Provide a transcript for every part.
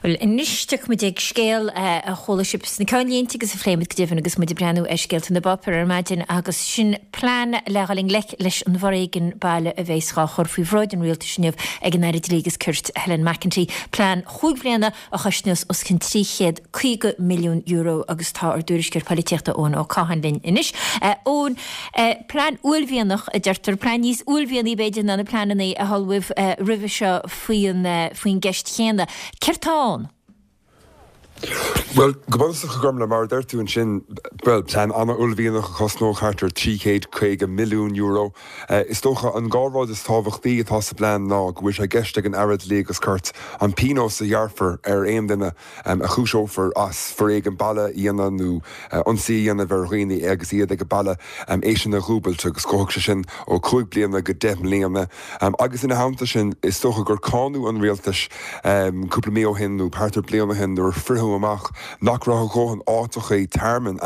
Bhuel, anois tiocfaimid ag scéal a chuala sibh sna ceannlínte agus a phléimid go deimhin agus muid ag breathnú ar scéalta na bpáipéar ar maidin agus sin plean le dhul i ngleic leis an bhforéigean baile a bheas dhá chur faoi bhráid an rialtais inniu ag an Aire Dlí agus Cirt Helen McEntee. Plean chúig bhliana a chosnós os cionn €350 milliún agus tá ár dtuairisceoir polaitíochta Eoin Ó Catháin linn anois. Eoin, plean uaillmhianach a deirtear, plean níos uaillmhianaí b'fhéidir ná na pleananna a ullmhaíodh roimhe seo faoin faoin gceist chéanna. Céard tá ann? Bhuel, go bunúsach, a Ghormfhlaith, mar a deir tú ansin, bhuel, plean an-uaillmhianach a chosnódh thart ar €350 milliún. Is dócha an dá rud is tábhachtaí atá sa bplean ná go bhfuil sé i gceist ag an Aire Dlí agus Cirt an pionós a ghearrfar ar aon duine a chúiseofar as foréigean baile a dhéanamh nó ionsaí a dhéanamh ar dhaoine agus iad ag baile, é sin a dhúbailt agus gabhfaidh sé sin ó 5 bliana go 10 mbliana. Agus ina theannta sin, is dócha gur cáineadh an rialtas cúpla mí ó shin nó thart ar bliain ó shin nuair a fritheadh amach nach raibh a dhóthain áiteachaí tearmainn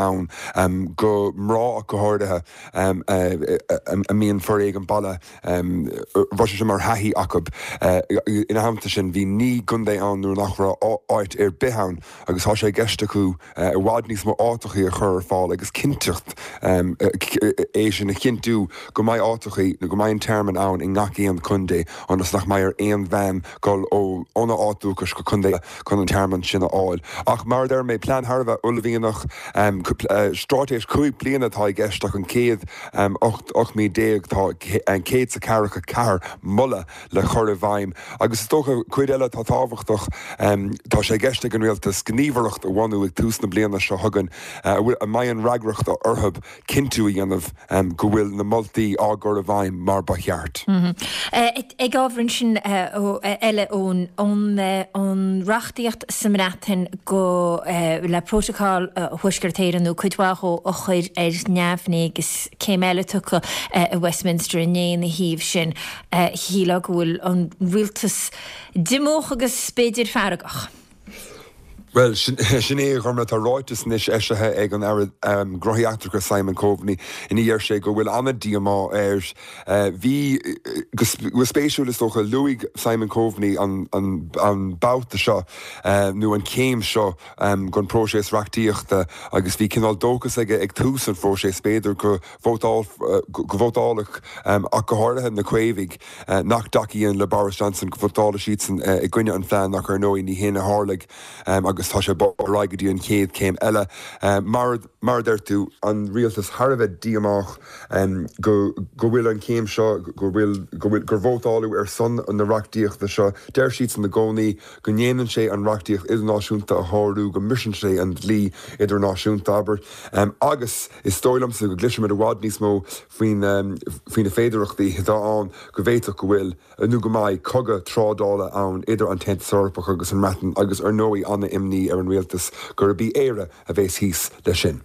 ann go mná ach go háirithe a mbíonn foréigean baile, raibh sé sin mar thaithí acu. Ina theannta sin, bhí 9 gcontae ann nuair nach raibh áit ar bith ann agus tá sé i gceist acu i bhfad níos mó áiteachaí a chur ar fáil agus cinnteacht é sin a chinntiú go mbeidh áiteachaí nó go mbeidh an tearmann ann i ngach aon chontae ionas nach mbeidh ar aon bhean dul óna áit dúchais go contae eile chun an tearmann sin a fháil. Ach mar a deir mé, plean thar a bheith uaillmhianach, straitéis 5 bliana atá i gceist ach an chéad 18 mí tá 144 moladh le cur i bhfeidhm. Agus is dócha, cuid eile atá tábhachtach, tá sé i gceist ag an Rialtas gníomhaireacht a bhunú ag tús na bliana seo chugainn a mbeidh an fhreagracht orthu cinntiú a dhéanamh go bhfuil na moltaí á gcur i bhfeidhm mar ba cheart. Ag ábhar ansin eile ón an reachtaíocht sa mBreatain go le Prótacal Thuaisceart Éireann nó cuid mhaith dhó a chur ar neamhní agus céim eile tugtha i Westminster inné ina thaobh sin. Shílfeá go bhfuil an rialtas díomách agus b'fhéidir feargach. Bhuel, sin é, a Ghormfhlaith. Tá ráiteas anois eisithe ag an Aire Gnóthaí Eachtracha Simon Coveney ina dheir sé go bhfuil an-díomá air. Bhí, go spéisiúil is dócha, luaigh Simon Coveney an babhta seo nó an chéim seo den phróiseas reachtaíochta agus bhí cineál dóchas aige ag tús an phróisis, b'fhéidir, go vótálfadh ach go háirithe na Caomhaigh nach dtacaíonn le Boris Johnson, go vótálfadh siadsan i gcoinne an phlean ach ar ndóigh ní hin a tharlaigh agus tá sé bogtha ar aghaidh go dtí an chéad chéim eile. Mar a deir tú, an rialtas thar a bheith díomách go bhfuil an chéim seo, go bhfuil, gur vótáladh ar son na reachtaíochta seo. Deir siadsan i gcónaí go ndéanann sé an reachtaíocht idirnáisiúnta a shárú, go mbriseann sé an dlí idirnáisiúnta, abair, agus is dóigh liomsa go gcloisfimid i bhfad níos mó faoi na féidearthachtaí atá ann go bhféadfadh go bhfuil, nó go mbeidh, cogadh trádála ann idir an tAontas Eorpach agus an mBreatain agus ar ndóigh an-imní ar an rialtas gurb í Éire a bheas thíos leis sin.